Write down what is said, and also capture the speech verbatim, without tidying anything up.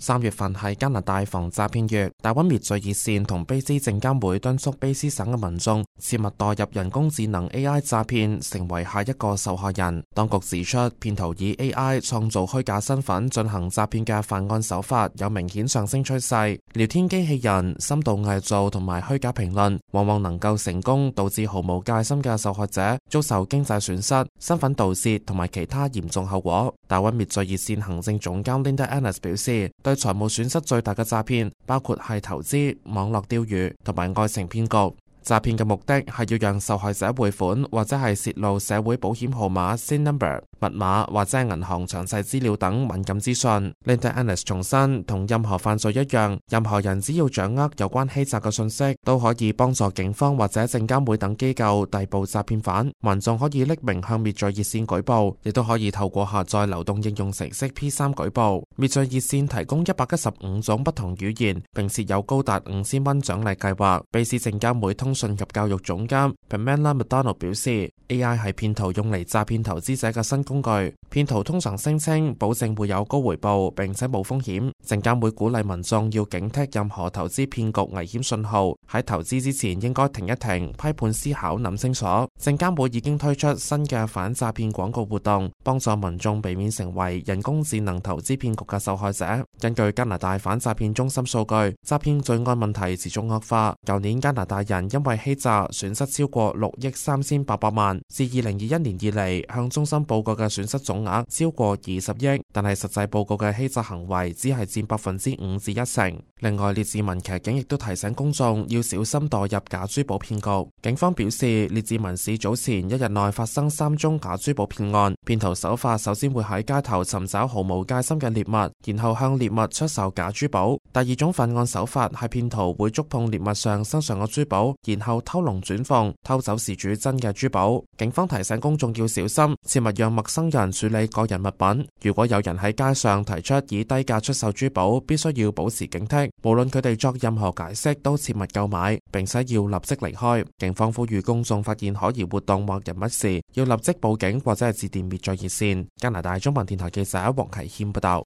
三月份係加拿大防詐騙月，大溫滅罪熱線同卑斯證監會敦促卑斯省嘅民眾切勿墮入人工智能 A I 詐騙，成為下一個受害人。當局指出，騙徒以 A I 創造虛假身份進行詐騙嘅犯案手法有明顯上升趨勢。聊天機器人、深度偽造同埋虛假評論，往往能夠成功導致毫無戒心嘅受害者遭受經濟損失、身份盜竊同埋其他嚴重後果。大溫滅罪熱線行政總監 Linda Ennis 表示，對財務損失最大嘅詐騙包括係投資、網絡釣魚同埋愛情騙局。詐騙嘅目的係要讓受害者匯款，或者係洩露社會保險號碼 S I N number、密碼或者銀行詳細資料等敏感資訊。Linda Ennis 重申，同任何犯罪一樣，任何人只要掌握有關欺詐嘅信息，都可以幫助警方或者證監會等機構逮捕詐騙犯。民眾可以匿名向滅罪熱線舉報，亦都可以透過下載流動應用程式 P 三舉報。滅罪熱線提供一百一十五種不同語言，並設有高達五千蚊獎勵計劃。卑斯證監會通信及教育總監 Pamela McDonald 表示 ，A I 係騙徒用嚟詐騙投資者嘅新工具。騙徒通常聲稱保證會有高回報，並且冇風險。證監會鼓勵民眾要警惕任何投資騙局危險信號，喺投資之前應該停一停，批判思考，諗清楚。證監會已經推出新嘅反詐騙廣告活動，幫助民眾避免成為人工智能投資騙局嘅受害者。根據加拿大反詐騙中心數據，詐騙罪案問題持續惡化。舊年加拿大人因為欺詐損失超過六億三千八百萬，自二零二一年以嚟向中心報告嘅損失總額超過二十億，但係實際報告嘅欺詐行為只係佔百分之五至一成。另外，列治文騎警亦都提醒公眾要小心墮入假珠寶騙局。警方表示，列治文市早前一日內發生三宗假珠寶騙案，騙徒手法首先會喺街頭尋找毫無戒心嘅獵物，然後向獵物出售假珠寶。第二種犯案手法係騙徒會觸碰獵物上身上嘅珠寶，然後偷龍轉鳳，偷走事主真嘅珠寶。警方提醒公眾要小心，切勿讓陌生人處理個人物品。如果有人喺街上提出以低價出售珠寶，必須要保持警惕，無論佢哋作任何解釋，都切勿購買，並且要立即離開。警方呼籲公眾發現可疑活動或人物時，要立即報警或者係致電滅罪熱線。加拿大中文電台記者黃啟謙報道。